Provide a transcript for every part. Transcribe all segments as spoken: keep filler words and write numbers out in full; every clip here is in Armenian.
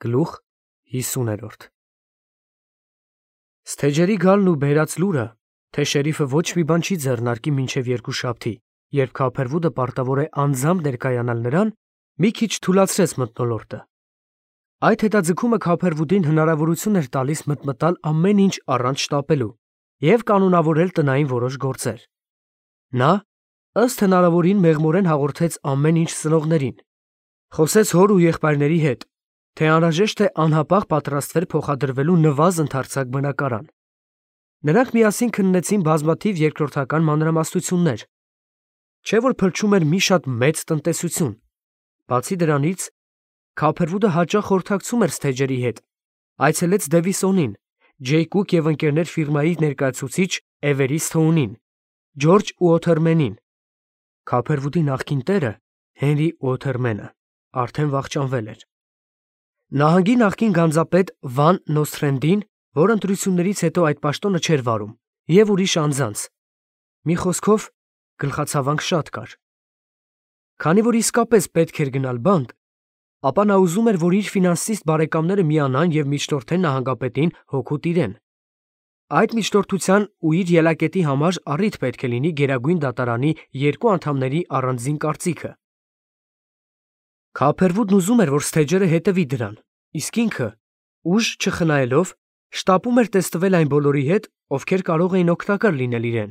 Գլուխ հիսուներորդ Սթեջերի գալն ու բերած լուրը, թե շերիֆը ոչ մի բան չի ձեռնարկի մինչև երկուշաբթի, երբ Քափերվուդը պարտավոր է անձամբ ներկայանալ նրան, մի քիչ թուլացրեց մթնոլորտը։ Այդ հետաձգումը Քափերվուդին հնարավորություն էր տալիս մտմտալ ամեն ինչ առանց շտապելու և կանոնավորել տնային որոշ գործեր։ Նա, ըստ հնարավորին, մեղմորեն հաղորդեց ամեն ինչ ծնողներին, խոսեց հոր ու եղբայրների հետ, թե անհրաժեշտ է անհապաղ պատրաստվել փոխադրվելու նվազ ընդարձակ բնակարան։ Նրանք միասին քննեցին բազմաթիվ երկրորդական մանրամասնություններ, չէ՞ որ փլչում էր մի շատ մեծ տնտեսություն։ Բացի դրանից, Քափերվուդը հաճախ խորհրդակցում էր Սթեջերի հետ, այցելեց Դևիսոնին, Ջեյ Կուք և ընկերներ ֆիրմայի ներկայացուցիչ Էվերիստ Հոունին, Ջորջ Ուոթերմենին։ Քափերվուդի նախկին տերը, Հենրի Ուոթերմենը, արդեն վախճանվել էր։ Նահանգի նախկին գանձապետ Վան Նոսթրենդին, որ ընտրություններից հետո այդ պաշտոնը չէր վարում, և ուրիշ անձանց։ Մի խոսքով, գլխացավանք շատ կար։ Քանի որ իսկապես պետք էր գնալ բանտ, ապա նա ուզում էր, որ իր ֆինանսիստ բարեկամները միանան և միջնորդեն նահանգապետին հօգուտ իրեն։ Այդ միջնորդության ու իր ելակետի համար առիթ պետք է լինի Գերագույն դատարանի երկու անդամների առանձին կարծիքը։ Քափերվուդն ուզում էր, որ Սթեջերը հետևի դրան, իսկ ինքը, ուժ չխնայելով, շտապում էր տեստվել այն բոլորի հետ, ովքեր կարող էին օգտակար լինել իրեն,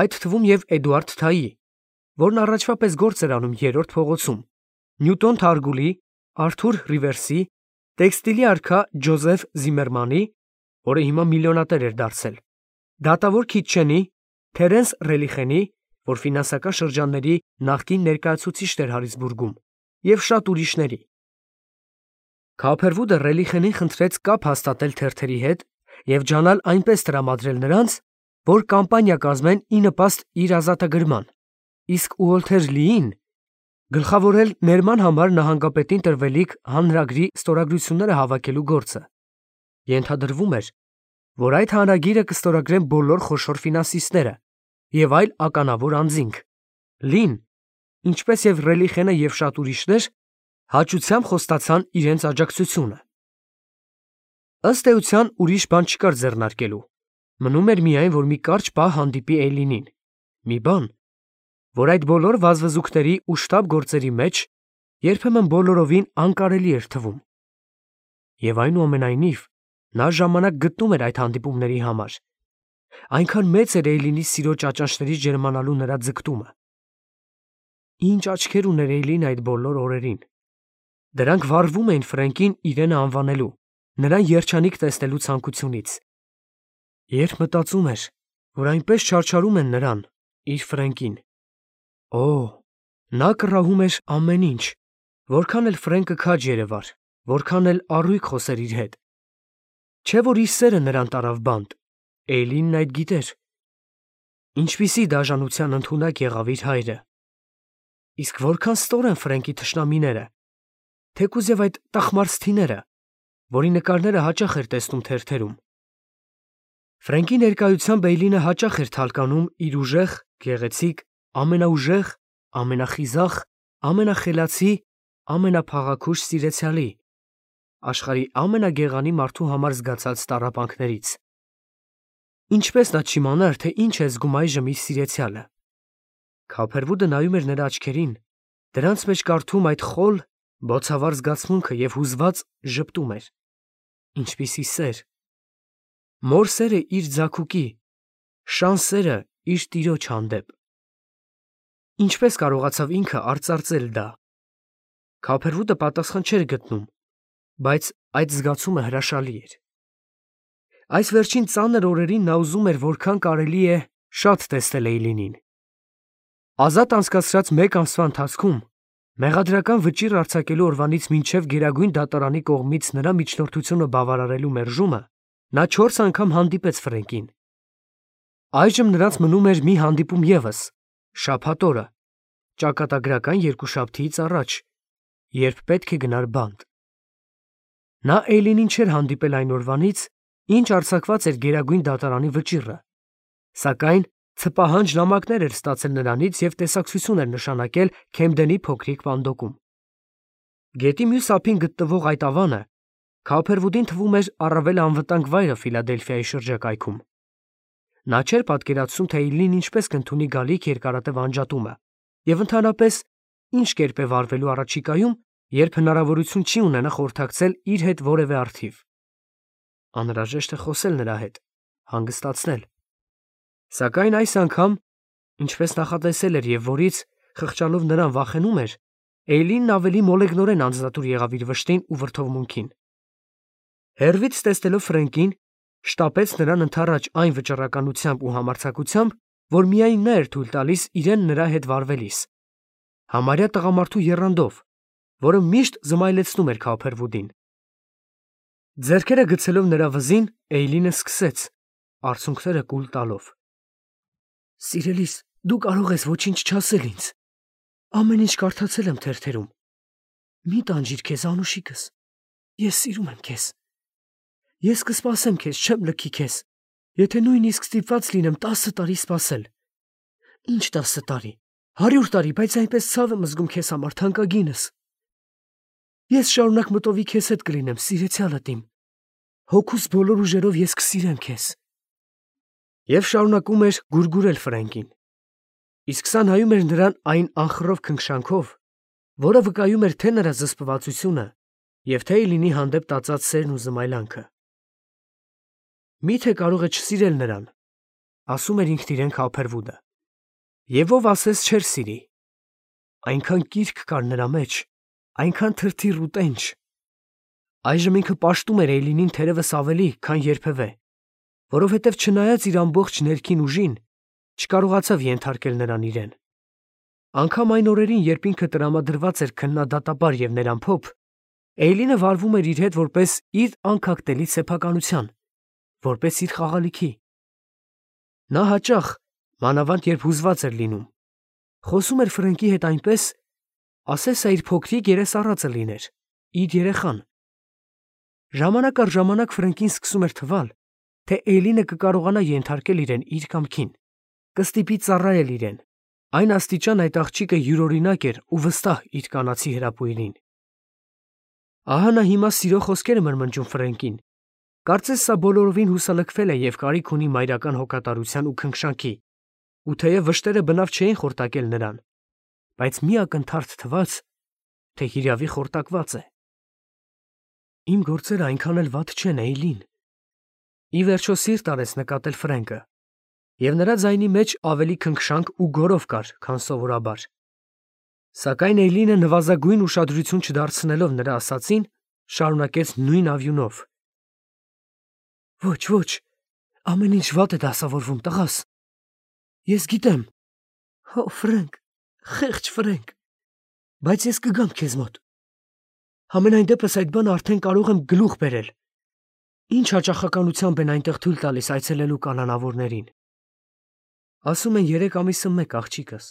այդ թվում և Էդուարդ Թայի, որն առաջվա պես գործ էր անում Երրորդ փողոցում, Նյուտոն Թարգուլի, Արթուր Ռիվերսի, տեքստիլի արքա Ջոզեֆ Զիմերմանի, որը հիմա միլիոնատեր էր դարձել, դատավոր Քիտչենի, Թերենս Ռելիխենի, որ ֆինանսական շրջանների նախկին ներկայացուցիչն էր Հարիցբուրգում, և շատ ուրիշների։ Քափերվուդը Ռելիխենին խնդրեց կապ հաստատել թերթերի հետ և ջանալ այնպես տրամադրել նրանց, որ կամպանիա կազմեն ի նպաստ իր ազատագրման, իսկ Ուոլթեր Լիին գլխավորել ներման համար նահանգապետին տրվելիք հանրագրի ստորագրությունները հավաքելու գործը։ Ենթադրվում էր, որ այդ հանրագիրը կստորագրեն բոլոր խոշոր ֆինանսիստները և այլ ականավոր անձինք։ Լին, ինչպես և Ռելիխենը և շատ ուրիշներ, հաճությամբ խոստացան իրենց աջակցությունը։ Ըստ էության, ուրիշ բան չկար ձեռնարկելու, մնում էր միայն, որ մի կարճ պահ հանդիպի Էյլինին, մի բան, որ այդ բոլոր վազվզուքների ու շտապ գործերի մեջ երբեմն բոլորովին անկարելի էր թվում։ Եվ այնուամենայնիվ, նա ժամանակ գտնում էր այդ հանդիպումների համար։ Այնքան մեծ էր Էյլինի սիրո ճաճանշներից ջերմանալու նրա ձգտումը։ Ինչ աչքեր ուներ Էյլին այդ բոլոր օրերին։ Դրանք վառվում էին Ֆրենկին իրենը անվանելու, նրան երջանիկ տեսնելու ցանկությունից։ Երբ մտածում էր, որ այնպես չարչարում են նրան, իր Ֆրենկին, օ, նա կռահում էր ամեն ինչ, որքան էլ Ֆրենկը քաջ երևար, որքան էլ առույգ խոսեր իր հետ։ Չէ՞ որ իր սերը նրան տարավ բանտ, Էյլինն այդ գիտեր։ Ինչպիսի դաժանության ընդունակ եղավ իր հայրը։ Իսկ որքան ստոր են Ֆրենկի թշնամիները, թեկուզ և այդ տխմարսթիները, որի նկարները հաճախ էր տեսնում թերթերում։ Ֆրենկի ներկայությամբ Էյլինը հաճախ էր թալկանում իր ուժեղ, գեղեցիկ, ամենաուժեղ, ամենախիզախ, ամենախելացի, ամենափաղաքուշ սիրեցյալի, աշխարհի ամենագեղանի մարդու համար զգացած տառապանքներից։ Ինչպես նա չիմանար, թե ինչ է զգում այժմ իր սիրեցյալը։ Քափերվուդը նայում էր նրա աչքերին, դրանց մեջ կարդում այդ խոլ, բոցավառ զգացմունքը և հուզված ժպտում էր։ Ինչպիսի սեր։ Մոր սերը իր ձագուկի, շան սերը իր տիրոջ հանդեպ։ Ինչպես կարողացավ ինքը արծարծել դա։ Քափերվուդը պատասխան չէր գտնում, բայց այդ զգացումը հրաշալի էր։ Այս վերջին ծանր օրերին նա ուզում էր որքան կարելի է շատ տեսնել Էյլինին։ Ազատ անցկացրած մեկ ամսվա ընթացքում, մեղադրական վճիռ արձակելու օրվանից մինչև Գերագույն դատարանի կողմից նրա միջնորդությունը բավարարելու մերժումը, նա չորս անգամ հանդիպեց Ֆրենկին։ Այժմ նրանց մնում էր մի հանդիպում ևս, շաբաթ օրը, ճակատագրական երկուշաբթիից առաջ, երբ պետք է գնար բանտ։ Նա Էյլինին չէր հանդիպել այն օրվանից, ինչ արձակված էր Գերագույն դատարանի վճիռը, սակայն ցպահանջ նամակներ էր ստացել նրանից և տեսակցություն էր նշանակել Քեմդենի փոքրիկ պանդոկում։ Գետի մյուս ափին գտնվող այդ ավանը Քոփերվուդին թվում էր առավել անվտանգ վայրը Ֆիլադելֆիայի շրջակայքում։ Նա չէր պատկերացնում, թե Էյլին ինչպես կընդունի գալիք երկարատև անջատումը և ընդհանրապես ինչ կերպ է վարվելու առաջիկայում, երբ հնարավորություն չի ունենա խորհրդակցել իր հետ որևէ առթիվ։ Անհրաժեշտ է խոսել նրա հետ, հանգստացնել։ Սակայն այս անգամ, ինչպես նախատեսել էր և որից, խղճալով նրան վախենում էր, Էյլինն ավելի մոլեգնորեն անձնատուր եղավ իր վշտին ու վրդովմունքին։ Հեռվից տեսնելով Ֆրենկին, շտապեց նրան ընդառաջ այն վճռականությամբ ու համարձակությամբ, որ միայն նա էր թույլ տալիս իրեն նրա հետ վարվելիս, համարյա տղամարդու եռանդով, որը միշտ զմայլեցնում էր Քոփերվուդին։ Ձեռքերը գցելով նրա վզին, Էյլինը սկսեց, արցունքները կուլ տալով. «Սիրելիս, դու կարող ես ոչինչ չասել ինձ։ Ամեն ինչ կարդացել եմ թերթերում։ Մի տանջիր քեզ, անուշիկս, ես սիրում եմ քեզ։ Ես կսպասեմ քեզ, չեմ լքի քեզ, եթե նույնիսկ ստիպված լինեմ տասը տարի սպասել։ Ինչ տասը տարի, հարյուր տարի, բայց այնպես ցավ եմ զգում քեզ համար, թանկագինս։ Ես շարունակ մտովի քեզ հետ կլինեմ, սիրեցյալդ իմ։ Հոգուս բոլոր ուժերով ես կսիրեմ քեզ»։ Եվ շարունակում էր գուրգուրել Ֆրենկին, իսկ սա նայում էր նրան այն անխռով քնքշանքով, որը վկայում էր թե նրա զսպվածությունը և թե Էյլինի հանդեպ տածած սերն ու զմայլանքը։ Միթե կարող է չսիրել նրան, ասում էր ինքն իրեն Քոփերվուդը, և ով ասես չէր սիրի։ Այնքան կիրք կար նրա մեջ, այնքան թրթիռ ու տենչ։ Այժմ ինքը պաշտում էր Էյլինին թերևս ավելի, քան երբևէ, որովհետև չնայած իր ամբողջ ներքին ուժին, չկարողացավ ենթարկել նրան իրեն։ Անգամ այն օրերին, երբ ինքը տրամադրված էր քննադատաբար և ներամփոփ, Էյլինը վարվում էր իր հետ որպես իր անքակտելի սեփականության, որպես իր խաղալիքի։ Նա հաճախ, մանավանդ երբ հուզված էր լինում, խոսում էր Ֆրենկի հետ այնպես, ասես սա իր փոքրիկ երեսառածը լիներ, իր երեխան։ Ժամանակ առ ժամանակ Ֆրենկին սկսում էր թվալ, թե Էյլինը կկարողանա ենթարկել իրեն իր կամքին, կստիպի ծառայել իրեն։ Այն աստիճան այդ աղջիկը յուրօրինակ էր ու վստահ իր կանացի հրապույրին։ Ահա նա հիմա սիրո խոսքեր է մրմնջում Ֆրենկին, կարծես սա բոլորովին հուսալքվել է և կարիք ունի մայրական հոգատարության ու քնքշանքի, ու թեև վշտերը բնավ չէին խորտակել նրան, բայց մի ակնթարթ թվաց, թե հիրավի խորտակված է։ Իմ գործերը այնքան էլ վատ չեն, Էյլին։ Ի վերջո սիրտ արեց նկատել Ֆրենկը, և նրա ձայնի մեջ ավելի քնքշանք ու գոռով կար, քան սովորաբար։ Սակայն Էյլինը նվազագույն ուշադրություն չդարձնելով նրա ասածին, շարունակեց նույն ավյունով. Ոչ, ոչ, ամեն ինչ վատ է դասավորվում, տղաս։ Ես գիտեմ։ Հո, Ֆրենկ, խեղճ Ֆրենկ, բայց ես կգամ քեզ մոտ։ Համենայն դեպս այդ բանը արդեն կարող եմ գլուխ բերել։ Ինչ հաճախականությամբ են այնտեղ թույլ տալիս այցելելու կանանավորներին։ Ասում են երեք ամիսը մեկ, աղջիկս։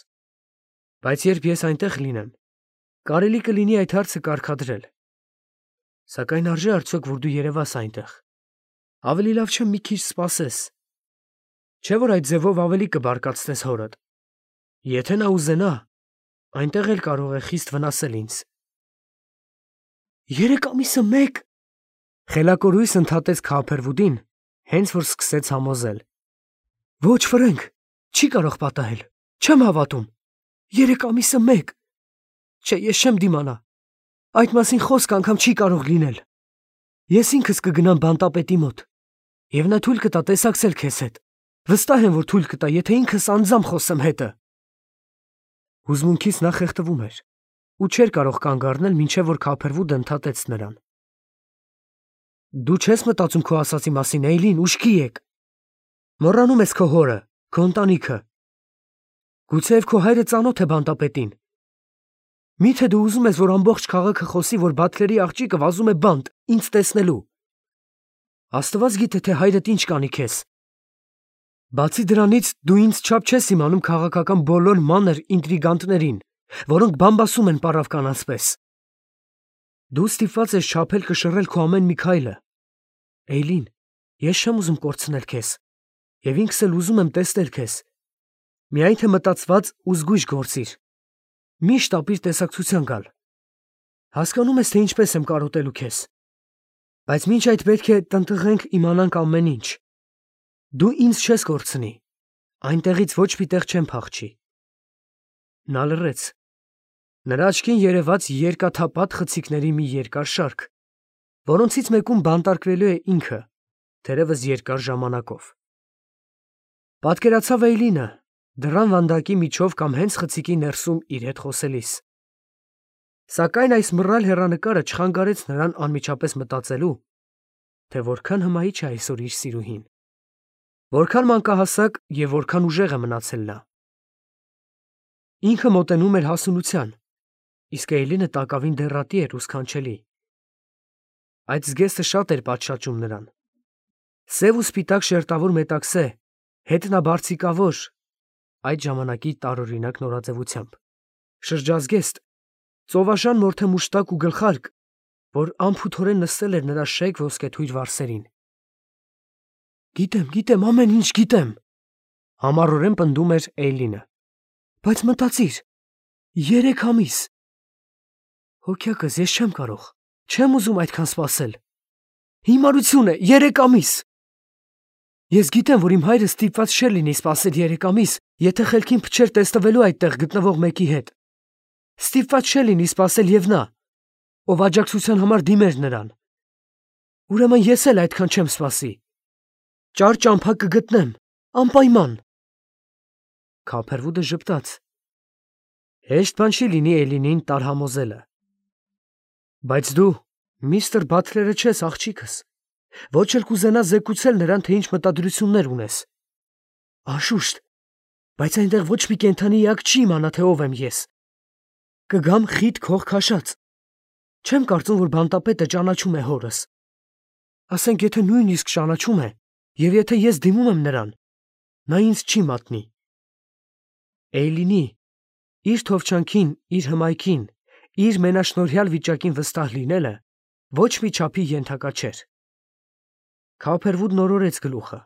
Բայց երբ ես այնտեղ լինեմ, կարելի կլինի այդ հարցը կարգադրել։ Սակայն արժե արդյոք, որ դու երևաս այնտեղ։ Ավելի լավ չէ մի քիչ սպասես։ Չէ՞ որ այդ ձևով ավելի կբարկացնես հորդ։ Եթե նա ուզենա, այնտեղ էլ կարող է խիստ վնասել ինձ։ Երեք ամիսը մեկ, խելակորույս ընդհատեց Քոփերվուդին, հենց որ սկսեց համոզել։ Ոչ, Ֆրենկ, չի կարող պատահել, չեմ հավատում։ Երեք ամիսը մեկ։ Չէ, ես չեմ դիմանա։ Այդ մասին խոսք անգամ չի կարող լինել։ Ես ինքս կգնամ բանտապետի մոտ, և նա թույլ կտա տեսակցել քեզ հետ։ Վստահ եմ, որ թույլ կտա, եթե ինքս անձամբ խոսեմ հետը։ Հուզմունքից նա խեղդվում էր ու չէր կարող կանգ առնել, մինչև որ Քոփերվուդը ընդհատեց նրան։ Դու չես մտածում քո ասացի մասին, Էյլին, ուշքի եք։ Մոռանում ես քո հորը, քո ընտանիքը։ Գուցեև քո հայրը ծանոթ է բանտապետին։ Միթե դու ուզում ես, որ ամբողջ քաղաքը խոսի, որ Բաթլերի աղջիկը վազում է բանտ, ինձ տեսնելու։ Աստված գիտե, թե հայրդ ինչ կանի քեզ։ Բացի դրանից, դու ինձ չափ չես իմանում քաղաքական բոլոր մանր ինտրիգանտներին, որոնք բամբասում են պառավ կանանց պես։ Դու ստիպված ես չափել կշռել քո ամեն մի քայլը։ Էյլին, ես չեմ ուզում կորցնել քեզ, և ինքս էլ ուզում եմ տեսնել քեզ։ Միայն թե մտածված ու զգույշ գործիր։ Միշտ ապիր տեսակցության գալ։ Հասկանում ես, թե ինչպես եմ կարոտելու քեզ։ Բայց մինչ այդ պետք է տնտղենք իմանանք ամեն ինչ։ Դու ինձ չես կորցնի, այնտեղից ոչ մի տեղ չեմ փախչի։ Նա լռեց։ Նրա աչքին երևաց երկաթապատ խցիկների մի երկար շարք, որոնցից մեկում բանտարկվելու է ինքը, թերևս երկար ժամանակով։ Պատկերացավ Էյլինը, դռան վանդակի միջով կամ հենց խցիկի ներսում իր հետ խոսելիս։ Սակայն այս մռայլ հեռանկարը չխանգարեց նրան անմիջապես մտածելու, թե որքան հմայիչ է այսօր իր սիրուհին, որքան մանկահասակ և որքան ուժեղ է մնացել նա։ Ինքը մոտենում էր հասունության, իսկ Էյլինը տակավին դեռատի էր ու սքանչելի։ Այդ զգեստը շատ էր պատշաճում նրան։ Սև ու սպիտակ շերտավոր մետաքսե, հետնաբարձիկավոր, այդ ժամանակի տարօրինակ նորաձևությամբ, շրջազգեստ, ծովաշան մորթե մուշտակ ու գլխարկ, որ անփութորեն նստել էր նրա շեկ ոսկեթույր վարսերին։ Գիտեմ, գիտեմ, ամեն ինչ գիտեմ, համառորեն պնդում էր Էյլինը։ Բայց մտածիր, երեք ամիս։ Հոգյակս, ես չեմ կարող, չեմ ուզում այդքան սպասել։ Հիմարություն է, երեք ամիս։ Ես գիտեմ, որ իմ հայրը ստիպված չէր լինի սպասել երեք ամիս, եթե խելքին փչեր տեսնվելու այդտեղ գտնվող մեկի հետ։ Ստիպված չէր լինի սպասել և նա, ով աջակցության համար դիմեր նրան։ Ուրեմն ես էլ այդքան չեմ սպասի։ Ճար ճամփա կգտնեմ, անպայման։ Քափերվուդը ժպտաց։ Հեշտ բան չի լինի Էյլինին տարհամոզելը։ Բայց դու միստր Բաթլերը չես, աղջիկս, ոչ էլ կուզենաս զեկուցել նրան, թե ինչ մտադրություններ ունես։ Անշուշտ, բայց այնտեղ ոչ մի կենդանի էակ չի իմանա, թե ով եմ ես։ Կգամ խիտ քող քաշած։ Չեմ կարծում, որ բանտապետը ճանաչում է հորս։ Ասենք, եթե նույնիսկ ճանաչում է, և եթե ես դիմում եմ նրան, նա ինձ չի մատնի։ Էյլինի, իր թովչանքին, իր հմայքին, իր մենաշնորհյալ վիճակին վստահ լինելը ոչ մի չափի ենթակա չէր։ Քափերվուդն օրորեց գլուխը։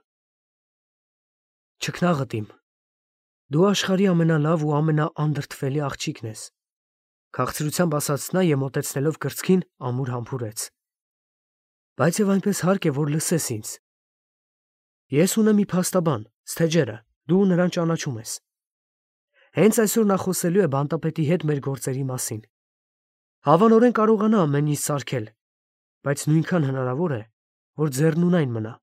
Չքնաղդ իմ, դու աշխարհի ամենալավ ու ամենաանդրդվելի աղջիկն ես, քաղցրությամբ ասաց նա և մոտեցնելով կրծքին ամուր համբուրեց։ Բայց և այնպես հարկ է, որ լսես ինձ։ Ես ունեմ մի փաստաբան, Սթեջերը, դու նրան ճանաչում ես։ Հենց այսօր նա խոսելու է բանտապետի հետ մեր գործերի մասին։ Հավանորեն կարողանա ամեն ինչ սարքել, բայց նույնքան հնարավոր է, որ ձեռնունայն մնա։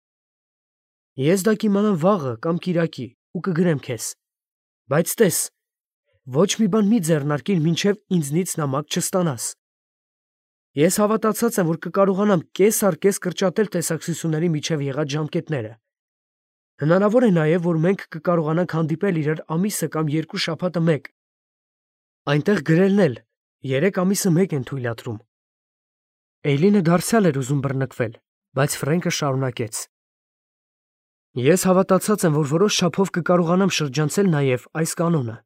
Ես դա կիմանամ վաղը կամ կիրակի ու կգրեմ քեզ։ Բայց տես, ոչ մի բան մի ձեռնարկիր, մինչև ինձնից նամակ չստանաս։ Ես հավատացած եմ, որ կկարողանամ կես առ կես կրճատել տեսակցությունների միջև եղած ժամկետները։ Հնարավոր է նաև, որ մենք կկարողանանք հանդիպել իրար ամիսը կամ երկու շաբաթը մեկ։ Այնտեղ գրելն էլ երեք ամիսը մեկ են թույլատրում։ Էյլինը դարձյալ էր ուզում բռնկվել, բայց Ֆրենկը շարունակեց. Ես հավատացած եմ, որ որոշ չափով կկարողանամ շրջանցել նաև այս կանոնը։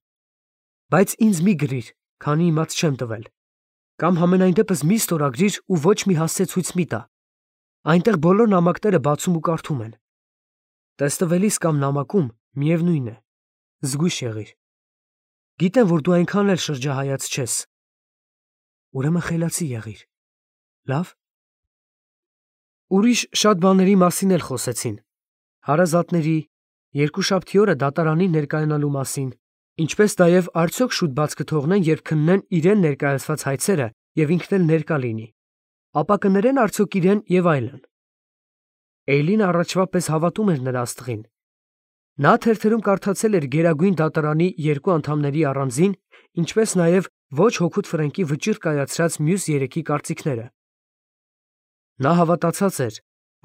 Բայց ինձ մի գրիր, քանի իմաց չեմ տվել։ Կամ համենայն դեպս մի ստորագրիր ու ոչ մի հասցեցույց մի տա։ Այնտեղ բոլոր նամակները բացում ու կարդում են։ Տեստվելիս կամ նամակում միևնույն է, զգույշ եղիր։ Գիտեմ, որ դու այնքան էլ շրջահայաց չես։ Ուրեմն խելացի եղիր։ Լավ։ Ուրիշ շատ բաների մասին էլ խոսեցին։ Հարազատների, երկուշաբթի օրը դատարանին ներկայանալու մասին, ինչպես նաև արդյոք շուտ բաց կթողնեն, երբ քննեն իրեն ներկայացված հայցերը և ինքն էլ ներկա լինի, ապա կներեն արդյոք իրեն և այլն։ Էյլինը առաջվա պես հավատում էր նրա աստղին։ Նա թերթերում կարդացել էր Գերագույն դատարանի երկու անդամների առանձին, ինչպես նաև ոչ հօգուտ Ֆրենկի վճիռ կայացրած մյուս երեքի կարծիքները։ Նա հավատացած էր,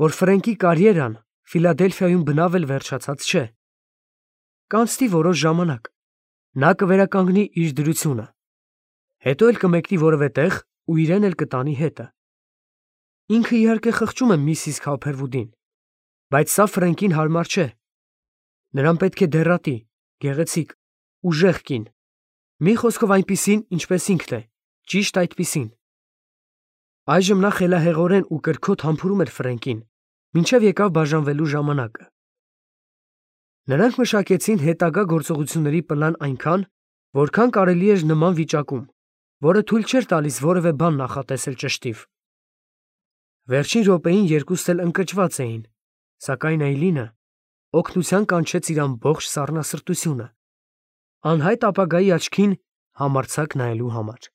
որ Ֆրենկի կարիերան Ֆիլադելֆիայում բնավ էլ վերջացած չէ։ Կանցնի որոշ ժամանակ, նա կվերականգնի իր դրությունը, հետո էլ կմեկնի որևէ տեղ ու իրեն էլ կտանի հետը։ Ինքը իհարկե խղճում է միսիս Քափերվուդին, բայց սա Ֆրենկին հարմար չէ։ Նրան պետք է դեռատի, գեղեցիկ, ուժեղ կին, մի խոսքով այնպիսին, ինչպես ինքն է, ճիշտ այդպիսին։ Այժմ նա խելահեղորեն ու կրքոտ համբուրում էր Ֆրենկին, մինչև եկավ բաժանվելու ժամանակը։ Նրանք մշակեցին հետագա գործողությունների պլան այնքան, որքան կարելի էր նման վիճակում, որը թույլ չէր տալիս որևէ բան նախատեսել ճշտիվ։ Վերջին րոպեին երկուստ էլ ընկճված էին, սակայն Այլինը օգնության կանչեց իր ամբողջ սառնասրտությունը, անհայտ ապագայի աչքին համարձակ նայելու համար։